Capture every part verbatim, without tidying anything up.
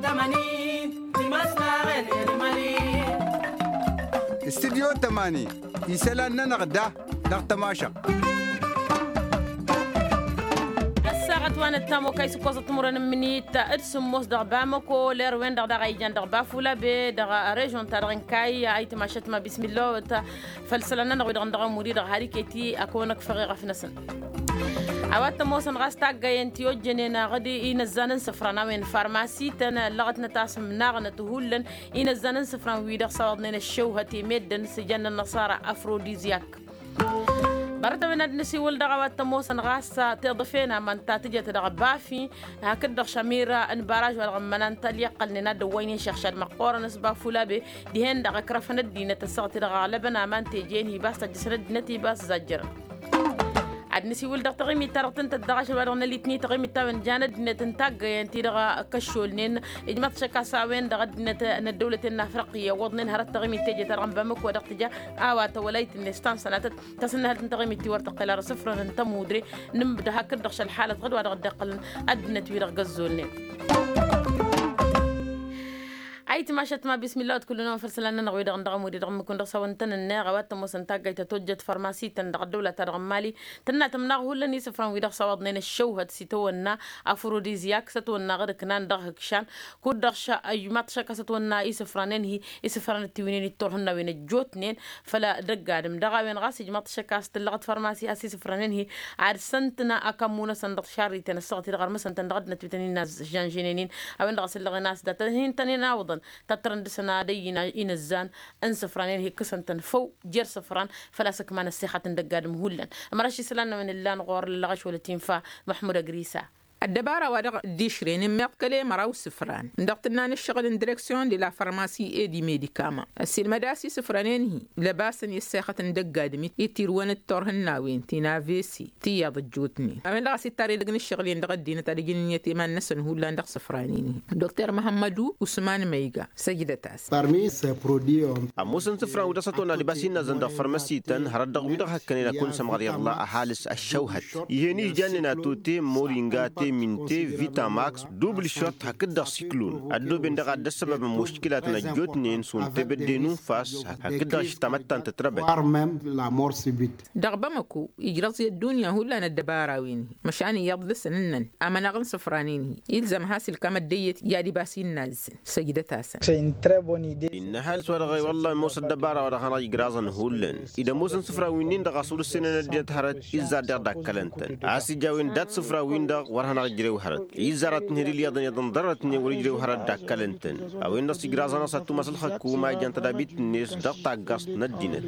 Tămani. Timăsnaɣen. Erimări. Studyo tămani. Isălan-nănăɣ da dăɣ-tămašăɣt. Ăssaɣăt wa nǝttam okăy s-ǝkkoẓăt timǝrwen n-imǝnit d-sǝmmos dăɣ-bamăko. Ler-wen-dăɣ daɣ a ijan dăɣ-bafulabe dăɣ-režon-ta-dăɣ n-kayya a itmašăt ma bismillah-wăt. Făll-isălan-nănăɣ wi-dăɣ n-dăɣ-ămuri-dăɣ har iket-i ad-kăwăn-ăkfăɣ i-ɣăf-năsăn. A-wa t-ămoosăn ɣas taggăyen ti ojjănen aɣǝd inăzzan n-isǝfran a-wen farmasi-tăn ǝllăɣătnăt a-s ǝmnaɣnăt hullan inăzzan n-isǝfran-wi-dăɣ s-awăḍnen ăššăwhăt i-meddǝn s-ijăn n-ănnăṣara afrodizyak. Bărăt a-wen ad-nǝsiwǝl dăɣ-a-wa t-ămoosăn ɣas tiḍǝfen aman ta tǝjăt dăɣ-bafi hakd-dăɣ šămir n-baraž wa dăɣ-ămmănan tăl-iqqălnen ad-dd-ăwwăynen šăɣšad măqqoorăn s-bafulabe dihen-dăɣ ǝkrăfăn ăddinăt ăssaɣăt-i-dăɣ aɣlăbăn aman teje-in hi-ibas tăjjăsăn ăddinăt hi-ibas zajjărăn. Ad-nǝsiwǝl dăɣ-taɣimit-ta-dăɣ tǝntăt dăɣ-ašăl wa dăɣ-nălitni taɣimit-ta-wen jan ăddinăt n-taggăyen-ti-dăɣ kăššolnen ijmaḍ-t šăkk a-s a-wen-dăɣ ăddinăt n-ăddăwlăten n-afriqi ăwwăḍnen hărăt taɣimit teje-ta-dăɣ n-bamăko dăɣ-tǝja a-wa tăwălayt-net ta n-sănatăt. Tasǝnnăhălt n-taɣimit ti wăr tăqqel arăsǝfrăn n-tămudre nǝmbdăh hakd-dăɣ šălḥalăt ɣǝd wa dăɣ-dd-iqqălăn ăddinăt-wi-dăɣ găzzolnen. Ayǝtmašăt ma bismillah wăt kull-năwăn făll-isălan-nănăɣ wi-dăɣ n-dăɣ-ămud-i-dăɣ n-imǝkun dăɣ-s a-wăn tăn-ǝnneɣ a-wa t-ămoosăn taggayt ta tojjăt farmasi-tăn dăɣ-ăddăwla-ta-dăɣ n-mali. Tǝnna tǝmnaɣ hullan isǝfran-wi-dăɣ s-ăwwăḍnen ăššăwhăt s-itawănna afrodizyak s-ătwănna ɣǝd-ǝknan dăɣ-ihǝkšan. Kud-dăɣ š-ăjmaḍ-t šăkk a-s ătwănna isǝfranen-hi isǝfran ăttiwǝynen itturhǝnnawen ăjjootnen făll-dăgg-adǝm dăɣ-a-wen ɣas ijmaḍ-t šăkk a-s tǝllăɣăt farmasi a-s isǝfranen-hi. Ad-săn-tǝnna akămmu-năsăn dăɣ-tišarriten ăssaɣăt-i-dăɣ ărmăsăn-tăn dăɣ-ăddinăt wi tăn-in-ăžžănžăynen-in a-wen-dăɣ a-s ǝllăɣen a-s dat-hin-tăn-in-awǝḍăn. Tăttărăn dăɣ-săn ad-ăyy inăzzan n-isǝfranen-hi ǝkkǝsăn-tăn făw jer-isǝfran. Făl-a-s ǝkman ăssexăt n-dăgg-adǝm hullan. Ămăraš isălan-năwăn ǝllan ɣur-ăllăɣăš wăla t-infa. Măḥmud ăgrisa. Ăddăbara-wa-dăɣ dd-išrăyăn ǝmmiḍkăl i-măraw isǝfran dăɣ-tǝnna n-ǝššăɣǝl n-direksyon de la farmasi ed imedikama ăssiilmăd a-s isǝfranen-hi lăbasăn i-ăssexăt n-dăgg-adǝm. Itirwăn d-turhǝnnawen ti n-avesi tiyyăḍ ăjjootnen a-wen-dăɣ a-s ittar edăgg n-ǝššăɣǝl-en dăɣ-ăddinăt ad-ǝjǝn ǝnniyăt i-iman-năsăn hullan dăɣ-isǝfranen-hi. Dokter măhămmădu usman măyga săjdăt-asăn. Ămoosăn isǝfran wi dăɣ-s ătwănna ad-ibas innăzzăn dăɣ-fărmăsităn hărăt dăɣ-wi-dăɣ hăkkănen ad-kăwăn-sămɣăr iḍla ăhalǝs ăššăwhăt. Ih'-en ijjannen atute moringa teminte vitamax dubl šot hakd-dăɣ siklun ăddooben-dăɣ ad-dd-ăssăbăbăn muškilatăn ăjjootnen šund tebădde n-unfas hakd-dăɣ ašǝttamăt ta n-tătrăbăt. Dăɣ-bamăko ijrăẓ i-ăddunya hullan ăddăbara-wen-hi măšan iyyăḍ dăɣ-săn ǝnnăn amănăɣ n-isǝfranen-hi ilzăm has-ilkam ăddăyyăt i-ad-ibas innă azzăn. Săjdăt-asăn. Innă ăhalǝs-wa-dăɣ i-wălla ămoos ăddăbara-wa-dăɣ hanăɣ-ijraẓăn hullan id-ămoosăn isǝfra-win-dăɣ a-s wăr-ǝssenăn ăddinăt hărăt izzar deɣ dakkălăn-tăn a-s ija a-wen dat-isǝfra-win-dăɣ wăr hanăɣ-ijrew hărăt. Izzar ad-tǝnhǝd ilyaḍăn iyyăḍ n-ḍarrătnen wăr ijrew hărăt dakkălăn-tăn. A-wen-dăɣ s-ijraẓ-anăɣ s-ad-tumas ălxăkuma ijăn tădabit-net dăɣ-taggast n-ăddinăt.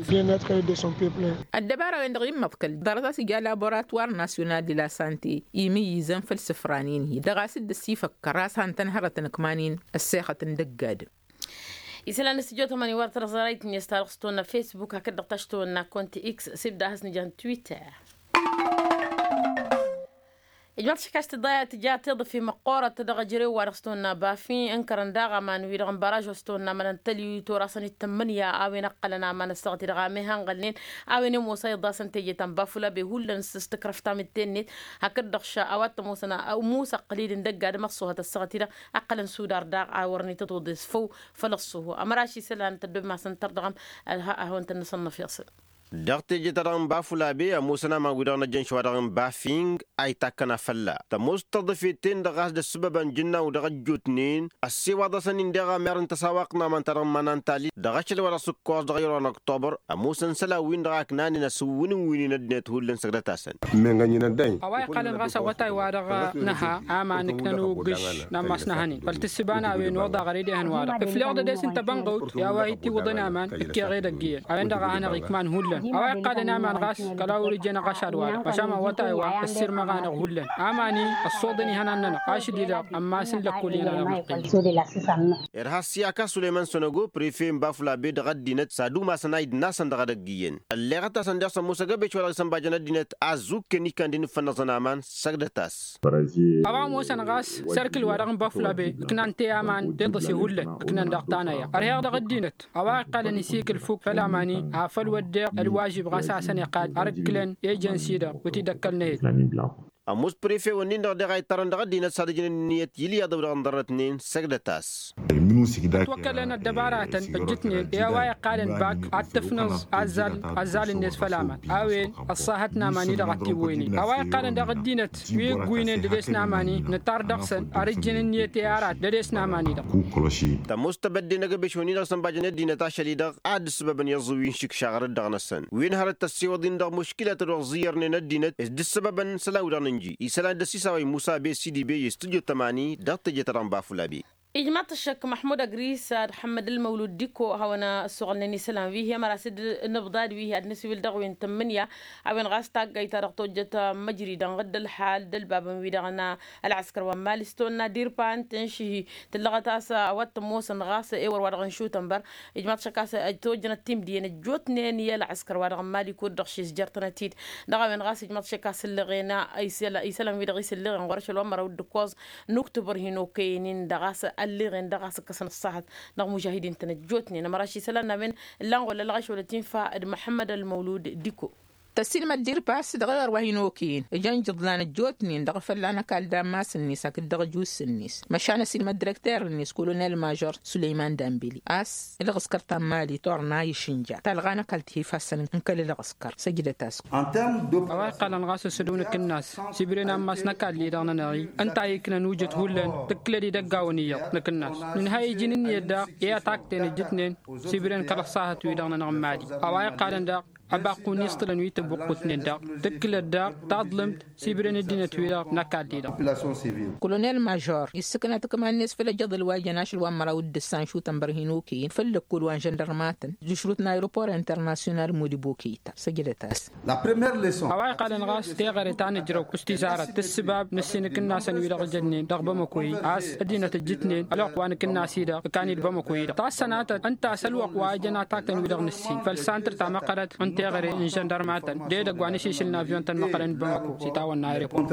Ăddăbara-wen-dăɣ immăḍkăl ḍarăt a-s ija laboratwar nasyonal de la sante imǝyyǝzăn făll-isǝfranen-hi dăɣ-a-s dd-ăsifăkkăr a-s han-tăn hărătăn ǝkman-in ăssexăt n-dăgg-adǝm. Isălan n-studyo tămani wăr tărẓărăyt-net ta dăɣ-s tăwănna facebook hakd-dăɣ taš tăwănna konti x s-ibda has-nǝja n-twitter. Ijmaḍ-t šăkk a-s tǝja tiḍǝfi măqqoorăt dăɣ-ejărew wa dăɣ-s tăwănna bafi ǝnkărăn daɣ aman-wi-dăɣ n-baraž wa s-tăwănna mănăntăl i-torasăn ittămmǝnǝya a-wen ăqqălăn aman ăssaɣăt-i-dăɣ a mehănɣălnen. A-wen i-ămoos a iḍasăn teje ta n-bafula be hullan s-tǝkrăf tamǝtte-net. Hakd-dăɣ ša a-wa t-ămoosăn ămoos ăqqǝl-dd n-dăgg-adǝm ăṣṣuhăt ăssaɣăt-i-dăɣ ăqqălăn sudar daɣ a wărăn itǝḍuḍes făw. Făll-ăṣṣuhu ămăraš isălan tăddob ma s-ǝntăr dăɣ-am. Ălhăɣ-ahăwăn-tăn-năsănnăf iɣsǝn. Dăɣ-teje-ta-dăɣ n-bafula be ămoosăn aman-wi-dăɣ n-ăjjăn šăwa-dăɣ n-bafing a itakkăna fălla-t ămoos tăḍǝfet-ten-dăɣ a-s d-ăssǝbăbăn jǝnnaw dăɣ-ăjjootnen. Ăssiwaḍăsăn-in deɣ amer n-tăsawăɣt n-aman-ta-dăɣ n-iman-an tali dăɣ-ašăl wa dăɣ-s ǝkkoẓ dăɣ-iron ăktobăr. Ămoosăn isălan-win-dăɣ a ǝknanen ăsǝwwǝnǝwwǝynen ăddinăt hullan săgdăt-asăn. A-wa iqqălăn ɣas awătay-wa-dăɣ nǝha aman ǝknăn ugǝš n-ammas n-ahănen făll-tǝssǝba n-a-wen oḍa ɣăr edehăn-wa-dăɣ ǝfleɣ-dd ed-e-s n-tăbănɣăwt i-a-wa ittǝwwǝḍăn aman ǝkkeɣ edăgg iyyăn a-wen-dăɣ a hanăɣ-ikman hullan. A-wa iqqălăn aman ɣas kăla wăr-ijăn ăɣašad-wa-dăɣ măšan awătay-wa ăssirmăɣ-anăɣ hullan. Aman-i ăṣṣoḍăn ihănan-nănăɣ ašăl-i-dăɣ ămmas n-lăkkul i-hanăɣ-nănăɣ. Irha s-i-ak a-s sulăyman sănogo prefe n-bafulabe dăɣ-ăddinăt s-ad-umasăn aydǝn-asăn dăɣ-edăgg iyyăn ălleɣăt-asăn deɣ s-ămoos ăgg-ebeš wa dăɣ-isănbajăn ăddinăt a ăzzukken ikkan d-inǝffănnăẓăn aman săgdăt-as. A-wa ămoosăn ɣas sărkǝl-wa-dăɣ n-bafulabe ǝknan-te aman tiḍǝse hullan ǝknan daɣ tanăya ărheɣ dăɣ-ăddinăt. A-wa iqqălăn isikǝl fukk făll-aman-i afăl wădden ălwažib ɣas a hasăn-iqqad ar ǝkkǝlăn ejănsi-dăɣ wăr t-dd-ăkkălnăyăt. ămoos prefe-wăn-in-dăɣ daɣ a ittarăn dăɣ-ăddinăt s-ad-ǝjǝn ǝnniyăt i-ǝlyaḍăw dăɣ-inḍărrătnen. Săjdăt-as. Ătwăkkălăn ăddăbaratăn ǝjjǝtnen i-a-wa iqqalăn bak ad-tǝfnǝẓ azzal azzal-net făll-aman a-wen ăṣṣahăt n-aman-i-dăɣ ad-t-iwwăynen a-wa iqqalăn daɣ ăddinăt wi ǝgguynen dăd-e-s n-aman-i nǝṭṭar dăɣ-săn. Ar ǝjjǝn ǝnniyăt i-arat dăd-e-s n-aman-i-dăɣ. Tămoos tebădde n-agăbeš-wăn-i-dăɣ sănbajăn ăddinăt ašăl-i-dăɣ a dd-ǝssǝbăbăn i-aẓǝwwi n-išǝkšaɣăr-dd dăɣ-năsăn wi ǝnhărăt tăssewăḍ-in dăɣ-muškilăt dăɣ-ẓiyyărnen ăddinăt s-dd-ǝssǝbăbăn isălan-wi-dăɣ nǝnji isălan d-ăssiis a-wa immusa be sidi be i-studyo tămani dăɣ-teje-ta-dăɣ n-bafula be. Ijmaḍ-t ăššăk măḥmud agris ad-ḥămmăd ălmăwlud diko a hawăn-ăssuɣǝlnen isălan wi hi-ămăra s-dd-nǝbḍad wi hi-ad-nǝsiwǝl dăɣ-wen tǝmmǝnǝya a-wen ɣas taggayt-ta-dăɣ tojjăt măjridăn ɣǝdd ălḥal d-ălbabăn-wi-dăɣ n-ălɣăskăr wa n-mali s-tonna dirpa n-tǝnšǝhi tǝllăɣăt a-s a-wa t-ămoosăn ɣas ewăr wa dăɣ-nǝšutăn băr. Ijmaḍ-t šăkk a-s ăjtojjănăt timdǝyăn ăjjootnen i-ălɣăskăr wa dăɣ-n mali kud-dăɣ šisjărtănăt-dd dăɣ-a-wen ɣas ijmaḍ-t šăkk a-s ǝlleɣen isălan-wi-dăɣ i-s ǝlleɣen ɣur-ašăl wa n-măraw d-ǝkkoẓ n-uktubăr hin-okăyăn-in-dăɣ a-s ălleɣen dăɣ-a-s ǝkkăsăn ǝṣṣahăt dăɣ-mužahidin-tăn ăjjootnen ămăra šisălan n-a-wen ǝllan ɣur-lălɣăš wăla t-infa d-măḥămmăd ălmăwlud diko. Tăsilmăd dirpas dăɣ-ewăr wa hin-okăyăn ǝjăn jǝḍlan ăjjootnen dăɣ-fălla n-ăkall d-ammas-net hakd dăɣ-ăjuss-net măšan ăsilmăd dirăkter-net kolonel mažor sulăyman dambili a-s ǝlɣǝskăr ta n-mali turna išǝnja talɣa n-ăkall tihifassăn n-kăl-ǝlɣǝskăr săjdăt-as. A-wa iqqalăn ɣas ăsădăw n-akǝnnas s-ibrăn ammas n-ăkall-i-dăɣ-nănăɣ-i ǝnta a iknăn ujǝt hullan tǝkkǝlăd idăggawăn iyyăḍ n-akǝnnas nǝnhăy iji n-ǝnniyăt daɣ i-atakten ǝjjǝtnen s-ibrăn kăl-ăṣṣahăt-wi-dăɣ-nănăɣ n-mali. A-wa iqqalăn daɣ ăbaqqu n-iṣṭǝlăn wi tăbuqqutnen daɣ tǝkkǝlăt daɣ taḍlǝmt s-ibrăn ăddinăt-wi-dăɣ n-ăkall-i-dăɣ. Kolonel mažor issǝkna tǝkma-net făll-ejăḍăl wa jăn ašăl wa n-măraw d-ǝssan šutăn bărhin okăyăn făll-ăkkol wa n-žăndărmatăn d-ašrut n-aeropor internasyonal modibo kăyta săjdăt-as. A-wa iqqalăn ɣas teɣăre ta n-ǝjrăw s-tizarăt tǝssǝbab n-ǝssin akǝnnasăn-wi-dăɣ ǝjănnen dăɣ-bamăko-i a-s ăddinăt ǝjjǝtnen ălwăqq wa n-akǝnnas-i-dăɣ ǝkan-dd bamăko-i-dăɣ tassănatăt ǝnta a-s ălwăqq wa ǝjăn atakten-wi-dăɣ n-ǝssin făll-santăr ta măqqărăt n-teɣăre n-žăndărmatăn d-edăgg wa n-ašišǝl n-avyon-tăn măqqărăn d-bamăko s-itawănna aeropor.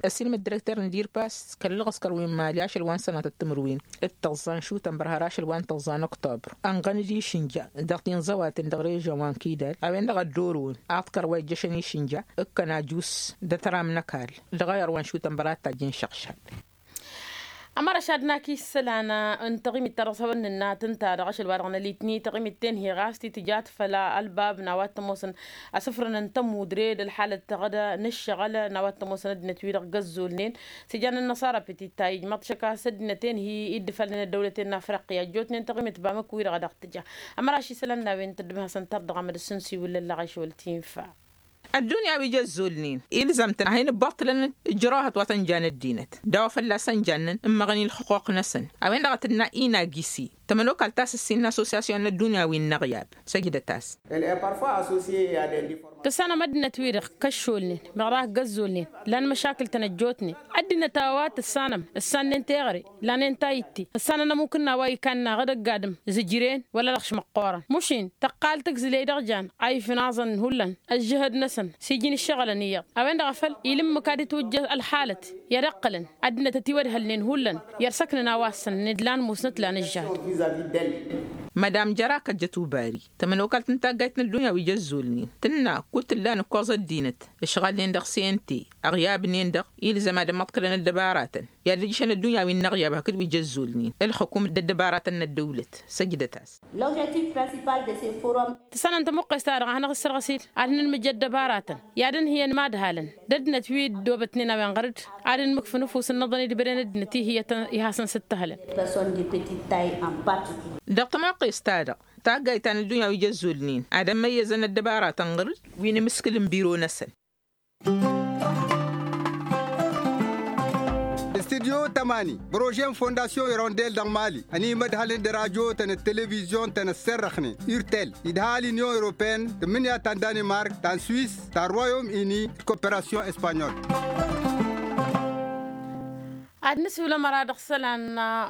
Ăsilmăt direkter n-dirpas kăl-ălɣăskăr wi n-mali ašăl wa n-sănatăt timǝrwen d-tăẓẓa n-šutăn bărhăr ašăl wa n-tăẓẓa n-oktobr ănɣăn-dd išǝnja dăɣ-tinẓăwaten dăɣ-režăn wa n-kidal a-wen-dăɣ ăddorăwăn aḍkăr wa ijjăšăn išǝnja ǝkkăn ajus d-ătram n-ăkall dăɣ-ayăr wa n-šutăn bărhăr ad-tajjăn šăɣšad. Ămăra šadnak isălan n-taɣimit ta dăɣ-s hawăn-nǝnnat ǝnta-dăɣ ašăl wa dăɣ-nălitni taɣimit tenhi ɣas titǝjat făll-ălbab n-a-wa t-ămoosăn asǝfrăn n-tămudre d-ălḥalăt tăɣda n-ǝššăɣăl n-a-wa t-ămoosăn ăddinăt-wi-dăɣ găzzolnen s-ijan n-năṣara petita ijmaḍ-t šăkk a-s ăddinăt enhi i-dd-ǝfalnen ăddăwlăten n-afriqya ăjjootnen taɣimit bamăk-wi-dăɣ a dăɣ-tǝja. Ămăra ašisălan n-a-wen tăddǝmhăsăn tărdăɣ amădăs n-siwǝl lăllăɣ ašwăl tinfa. Ăddunya wi jăzzolnen ilzăm-tăn ad-hin-ǝbbaṭṭǝlăn ǝjrăwhăt wa tăn-jan ăddinăt d-a-wa fălla-s ănjannăn ǝmmăɣăn i-ǝlxǝquq-năsăn. A-wen-dăɣ a tǝnna inagisi tămănokalt ta s-ǝssin n-assosyasyon n-ăddunya wi n-inăɣyab săjdăt-as. Tǝssanăm ăddinăt-wi-dăɣ kăššolnen meɣ daɣ găzzolnen lan măšakǝl-tăn ăjjootnen ăddinăt a-wa tǝssanăm ǝssannen teɣăre lanen tayǝtte ǝssanăn ămukǝnna wa ikannaɣ d-ăgg-adǝm zǝjren wăla dăɣ-š măqqoorăn mušin tăqqal tǝgzǝley dăɣ-jan a ifnaẓăn hullan ăžžǝhăd-năsăn s-iji n-ǝššăɣǝlăn iyyăḍ a-wen-dăɣ a făl ila ǝmmǝk ad-itwǝjjăh ălxalăt i-ad-ǝqqǝlăn ăddinăt ătiwădhălnen hullan i-ad-săknăn a-wa ǝssănnăn d-lan musnăt lan ǝžžăhăd. Madam jăra kăjjăt ubari tămănokalt n-taggayt n-ăddunya wi jăzzolnen tǝnna kud-tǝllan ǝkkoẓ ăddinăt ǝšɣalnen dăɣ-sente ăɣyabnen-dăɣ ilzăm ad-ămmăḍkălăn ăddăbaratăn i-ad-ǝjjǝšăn ăddunya wi n-inăɣyab hakd wi jăzzolnen ǝlxǝkum d-ăddăbaratăn n-ăddăwlăt săjdăt-as. Tǝssanăn tămuqqes-ta-dăɣ a hanăɣ-issărɣǝs-dd ad-nǝnmǝj ăddăbaratăn i-ad-ǝnhǝyăn imadhalăn d-ăddinăt wi dd-obătnen a-wen ɣăr-dd ad-ǝnmǝkfǝn ăfuss ǝnnăḍăn idbăden ăddinăt ihǝyătăn i-hasăn-sǝttăhălăn. Dăɣ-tămuqqes-ta-dăɣ taggayt ta n-ăddunya wi jăzzolnen ad-ămmăyyăzăn ăddăbaratăn ɣǝr-dd wi n-imǝskǝl n-biro-năsăn. Studyo tămani prože n-fondasyon irondel dăɣ-mali ănimădhălăn d-radyo-tăn d-televizyon-tăn ăssărrăxnen urtel idha l-inyon europeen tǝmmǝnǝya ta n-danimark ta n-swis ta n-royom ini d-koperasyon espanyol. Ad-nǝsǝwǝl ămăra dăɣ-isălan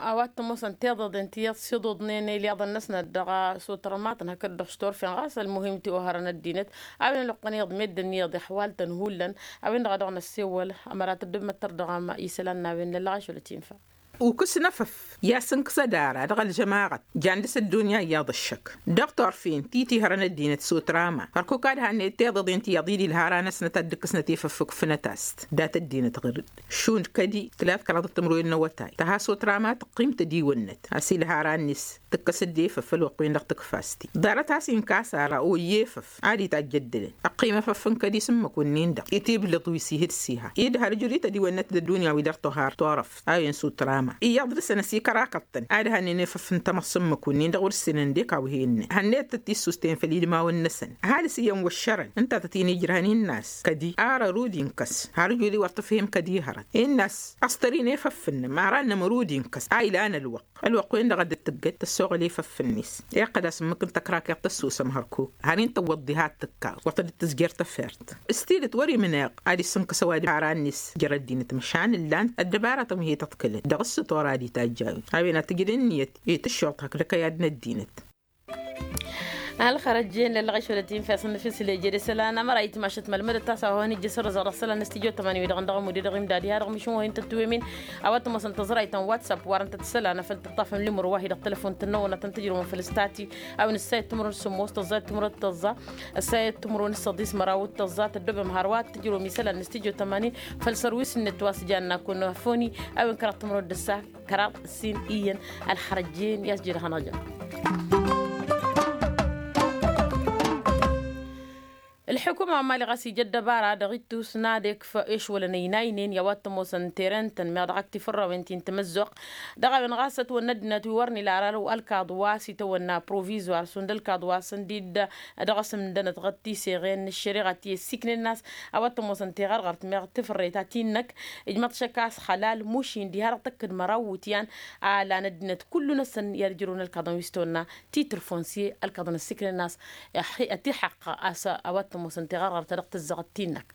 a-wa t-ămoosăn tiḍăḍen ti iyyăḍ s-iḍuḍnen ilyaḍăn-năsnăt dăɣ-s otărmatăn hakd dăɣ-s turfen ɣas ălmuhim ti ohărăn ăddinăt a-wen ălwăqq n-iyyăḍ meddǝn n-iyyăḍ ixwal-tăn hullan. A-wen-dăɣ a dăɣ-năssewăl ămăra tăddǝmmăt tărdăɣăm isălan n-a-wen lăllăɣ ašăl ătinfa. Ukǝs n-efăf i-ad-sǝnkǝsăd ara dăɣ-ălžămaɣăt jan dăr-s ăddunya iyyăḍ ǝššăk. Dăɣ-turfen ti tihărăn ăddinăt s-utrama hărkuk ad-hannăyăt tiḍeḍen ti iyyăḍ-i d-ilhara-năsnăt ad-dd-ǝkkǝsnăt efăf ǝkfǝnăt-as-t dat-ăddinăt ɣǝr-dd šund kădi tǝla d-kăraḍăt timǝrwen n-awătay tăha s-utrama tǝqqim tădiwănnăt a-s ilhara-net tǝkkăs-dd efăf ălwăqq-wen-dăɣ tǝkfa-s-t-dd ḍarăt a-s inkas ara oyyefăf ad-itajj ăddălăn ăqqim efăf n-kădi s-ǝmmǝk-wǝnnin-dăɣ itibleḍ wi s-ihǝd s-iha-dd har ǝjrǝy tădiwănnăt d-ăddunya wi dăr-tohar turăft a-wen s-utrama iyyăḍ dăr-săn ăsikărakăḍ-tăn ad-hannen efăf n-tamăḍt s-ǝmmǝk-wǝnnin-dăɣ wăr ǝssinăn d-ekaw hi-innăn hannăyăt-tăt-issustăyăn făll-idmawen-năsăn ăhalǝs iyyăn wăššărăn ǝnta tăt-in-ijrăhăn innă a-s kădi ar ărud inkăs har ǝjud-i wăr tǝfhim kădi hărăt innă a-s ăstăr-in efăf-nămăr a ănnămăr ud-inkăs a ilan ălwăqq ălwăqq-wen-dăɣ a dd-tǝggăt tăssoɣăl efăf-net iqqăl-as ǝmmǝk n-tăkrakeḍt ăssusăm hărkuk har-in tăwwăḍ diha ad-tǝkkaw wăr tădd-tǝzjer tăfert s-tidǝt wăr-imneɣ ad-issǝnkăs ăwadǝm ara-net jer-ăddinăt măšan ǝllan ăddăbaratăn wi hi-tăḍkǝlăn dăɣ-s s-tora ad-itajj a-wen a tǝjǝd ǝnniyăt i-tǝššuḍt hakd ăkăyad n-ăddinăt. Ălxărăjjen lăllăɣ išwălăt-in fi asǝnnǝf isǝlejed isălan ămăra itmašăt mălmădăt a-s a-wa hăn-ijjăš sărăzăɣ dăɣ-isălan n-studyo tămani wi-dăɣ ǝndăɣ ămuded ăɣimdad iha dăɣ-mišǝn wa hin-tătwăymen. A-wa t-ămoosăn tăẓrayt n-whatsapp wa dăɣ-tăn-tǝssălan a făl tǝṭṭafăm limǝr wa hi-dăɣ tălăfon tănnăwănatăn tǝjrǝwăm făll-stati a-wen ǝssayăt timǝrwen s-sǝmmos tăẓẓa timǝrwen tăẓẓa ǝssayăt timǝrwen s-săḍis măraw d-tăẓẓa tăddobem hărwa tǝjrǝwăm isălan n-studyo tămani. Făll-sărwis-net wa s-jan n-akun foni a-wen kăraḍ timǝrwen d-ǝssa kăraḍ ǝssin iyyăn. Ălxărăjjen i-as jed hanăjăn. Ălḥukuma wa n-mali ɣas ija ăddăbara dăɣ-ittus n-ad-ekf ešwălăn ăynaynen i-a-wa t-ămoosăn teren-tăn meɣ dăɣ-ak tifărrawen ti n-tamăzzuɣt. Dăɣ-a-wen ɣas ătwănna ăddinăt wi wăr n-ila ara ălkaḍ wa s-itawănna provizoir šund ălkaḍ wa s-ǝndid dăɣ-s ǝmdănăt ɣăt tiseɣen n-ăššăreɣa ti ăssiiknen a-s a-wa t-ămoosăn tiɣărɣărt meɣ tifărreyt a ti-năk. Ijmăḍ šăkk a-s xălal mušin diha dăɣ-tăkk d-măraw iwǝtyan a lan ăddinăt kullu-năsăn i-ad-ǝjrǝwăn ălkaḍăn wi s-tawănna titre foncier ălkaḍăn ăssiiknen a-s. Ătiḥăqq a-s a-wa t-ămoosăn tiɣărɣărt ta dăɣ-tǝzzăɣăt ti-năk.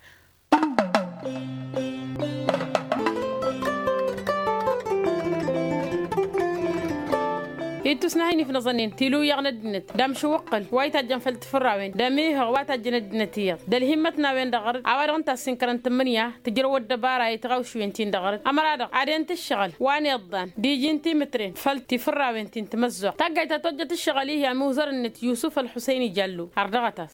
Ittus n-ahin ifnăẓăn-in tilǝwyaɣ n-ăddinăt d-amšǝwwăqqăl wa itajjăn făll-tifǝrrawen d-amihăɣ wa tajjăn ăddinăt iyyăḍ d-ălhimmăt n-a-wen-dăɣ ɣărăt a-wa-dăɣ ǝnta a-s inkărăn tǝmmǝnǝya tǝjrăw ăddăbara i-tiɣawšwen-tin-dăɣ ɣărăt ămăra-dăɣ ad-en-tǝššăɣǝl wa n-iḍḍan d-iji n-timǝtren făll-tifǝrrawen ti n-timăzzuɣt taggayt ta tojjăt ǝššăɣǝl-ihi amuzăr-net yusǝf ălxusăyni jallo. Ardăɣăt-as.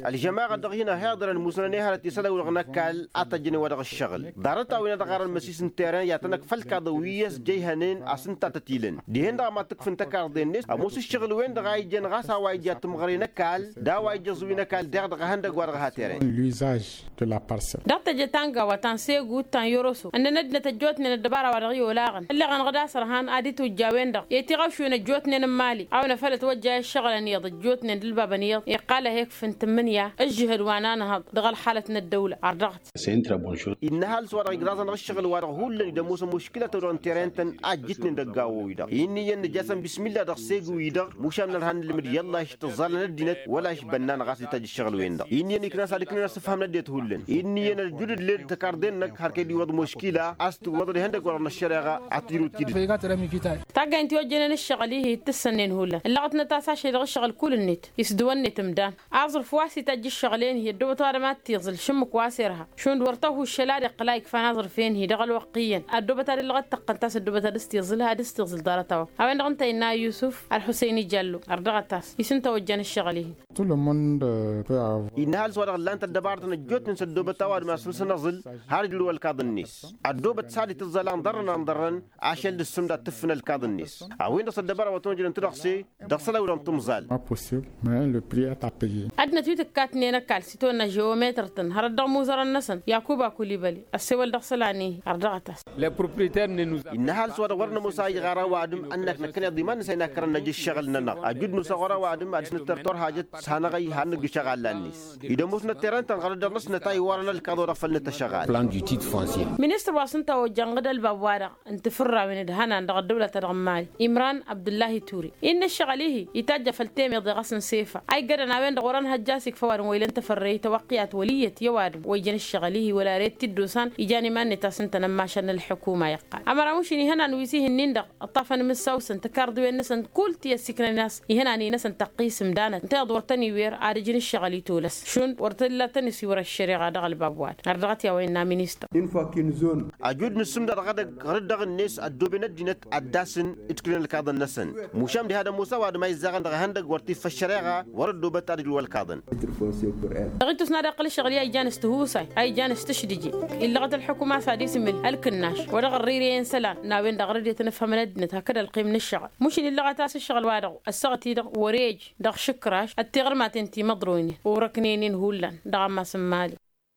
Ălžămaɣăt dăɣ-hin-ăhiḍărăn musnăn i-hărăt isălan-wi-dăɣ n-ăkall a tăjjăn i-wa dăɣ-ǝššăɣǝl ḍarăt-a-wen a dăɣ-arăn măsis n-teren i-ad-tăn-ăkf ălkaḍăn wi ăsjăyhănen a-s ǝnta a tăt-ilăn dihen-dăɣ a mad-tǝkf n-tăkarḍe-net ămoos ǝššăɣǝl-wen-dăɣ a ija ɣas a-wa ija tǝmɣăre n-ăkall d-a-wa ija ăẓwi n-ăkall deɣ dăɣ-ehăndăgg-wa-dăɣ ha teren. L'usage de la parcelle. Dăɣ-teje tanga wa ta n-segu ta n-yoroso ǝnnăn ăddinăt ăjjootnen ăddăbara wa dăɣ-i olaɣăn ălleɣ-anăɣ d-asărhan ad-itwǝjja a-wen-dăɣ i-tiɣawšwen ăjjootnen n-imali a-wen a făl ătwăjja i-ǝššăɣǝlăn iyyăḍ ăjjootnen d-ǝlbabăn iyyăḍ iqqal a he-ǝkf n-tǝmmǝnǝya ǝžžǝhăd wa n-anhăḍ dăɣ-ălxalăt n-ăddăwla. Ardăɣăt. Innă ăhalǝs-wa-dăɣ igraẓ-anăɣ ǝššăɣǝl-wa-dăɣ hullan dd-ămoosăn muškǝla ta-dăɣ n-teren-tăn a ǝjjǝtnen dăgg-a-wa-wi-dăɣ inn'-iyyăn nǝj'-asăn bismilla dăɣ-segu-i-dăɣ mušan nărha n-ilmǝd i-ăllah išt-ǝẓẓalăn ăddinăt wăla išbănna-năɣ a-s ităjj ǝššăɣǝl-wen-dăɣ inn'-iyyăn ikna a-s ad-ǝknen asǝfham n-ăddinăt hullan inn'-iyyăn ăljudd ǝllen tăkarḍen-năk har kăy-dd-iwwăḍ muškila a-s tǝwwăḍăd ihăndăgg-wa-dăɣ n-ăššăreɣa. Ad-tǝjrǝw tidǝt. Taggaynt i-ojjănen ǝššăɣǝl-ihi d-tǝssănnen hullan ǝllăɣătnăt a-s ašăl dăɣ-ǝššăɣǝl kull-net isdǝwănnet ǝmdan aẓrǝf wa s-itajj ǝššăɣǝl-en-hi ăddoobăt ăwadǝm ad-t-iẓǝl šǝmmǝk wa s-irha šund wăr tăhu ǝššăl ad-iqqǝl a ikfan aẓrǝf-en-hi dăɣ-ălwăqq iyyăn ăddoobăt ad-ǝllăɣăt tăqqăn ta s-ăddoobăt ad-s-t-iẓǝl ad-s-t-iẓǝl ḍarăt-a-wa. A-wen-dăɣ ǝnta innă a yusǝf ălxusăyni jallo. Ărdăɣăt-as isǝnta ojjăn ǝššăɣǝl-ihi. Innă ăhalǝs-wa-dăɣ ǝllan-t ăddăbarătăn ăjjootnen s-ăddoobăt a-wa dăɣ-ma săr-săn ăẓǝl har ǝjrǝw ălkaḍ-net ăddoobăt s-ad-itǝẓẓal anḍărrăn anḍărrăn ašăl d-ǝssǝmd ad-tǝffǝn ălkaḍ-net. A-wen-dăɣ s-ăddăbara wa tăn-ojrăn-t dăɣ-se dăɣ-isălan-wi-dăɣ n-timẓal. Ăddinăt wi tǝkkatnen ăkall s-itawănna žeometăr-tăn hărăt dăɣ-imuzărăn-năsăn yakuba kulibăli ăssewăl dăɣ-isălan-i-hi. Ărdăɣăt-as. Innă ăhalǝs-wa-dăɣ wăr nămoos a ijɣar ăwadǝm ănnak năkkăneḍ iman-năsăn a innă ad-kărăn năj ǝššăɣǝl-nănăɣ ăjud nosăɣ wăr-ăwadǝm ad-dăɣ-s nǝttăr turhajăt s-hanăɣ-ăy har nǝgg ǝšăɣal-la-net. Id-ămoosnăt terăntăn ɣărăt dăɣ-năsnăt a iwwărăn ălkaḍ wa dăɣ-făl nǝtăšăɣal. Plan du titre foncier. Ministăr wa s-ǝnta ojjăn ɣǝd ălbab-wa-dăɣ n-tifǝrrawen d-hănan dăɣ-ăddăwla-ta-dăɣ n-mali imran abdǝllahi ture innă ǝššăɣǝl-ihi itajj a făl temeḍe ɣas n-sefa a iggădăn a-wen-dăɣ wăr-ănhăjja a-s ikfa ăwadǝm wa ilăn tafărreyt tawăqqiyat wăl' iyyăt i-ăwadǝm wa ijăn ǝššăɣǝl-ihi wăla ret t-dd-osan ijan iman-net a-s ǝnta n-ămmašal n-ălḥukuma iqqal ămăra mušin ihănan wi s-ihi-nin-dăɣ ǝṭṭafăn imǝssaw. tăkarḍiwen-năsăn kull ti ăssikrăn-in a-s ihănan-i-năsăn tăqqis ǝmdanăt ǝnta iḍ wăr tăn-iwer ad-ǝjǝn ǝššăɣǝl i-tolăs šund wăr tălla tăn-isiwăr ăššăreɣa dăɣ-ălbab wa-dăɣ. Ărdăɣăt i-a-wa innă ministăr. Ăjud n-asǝmdăɣ dăɣ-edăgg ɣur-dd dăɣ-net ăddooben ăddinăt ad-dd-asǝn ǝtkǝlăn ălkaḍăn-năsăn. Mušam diha d-ămoos ăwadǝm a izzăɣăn dăɣ-ihăndăg wăr t-iffă ăššăreɣa wăr-ăddoobăt ad-ǝjrǝw ălkaḍăn. Dăɣ-itus n-ad-iqqǝl ǝššăɣǝl i-a ijan s-tihusay a ijan s-tǝšdǝje illăɣăt ălḥukuma s-ad-isǝmǝl ălkǝnnaš wa dăɣ-ărrǝyre i-ǝnsălan n-a-wen-dăɣ ɣur-dd i-tăn-ǝfhămăn ăddinăt hakd ălqim n-ǝššăɣǝl mušǝn illăɣăt a-s ǝššăɣǝl-wa-dăɣ ăssaɣăt-i-dăɣ wăr-e ăj dăɣ-išǝkraš d-tiɣărmaten timăḍroynen orăknen-in hullan dăɣ-ammas n-imali.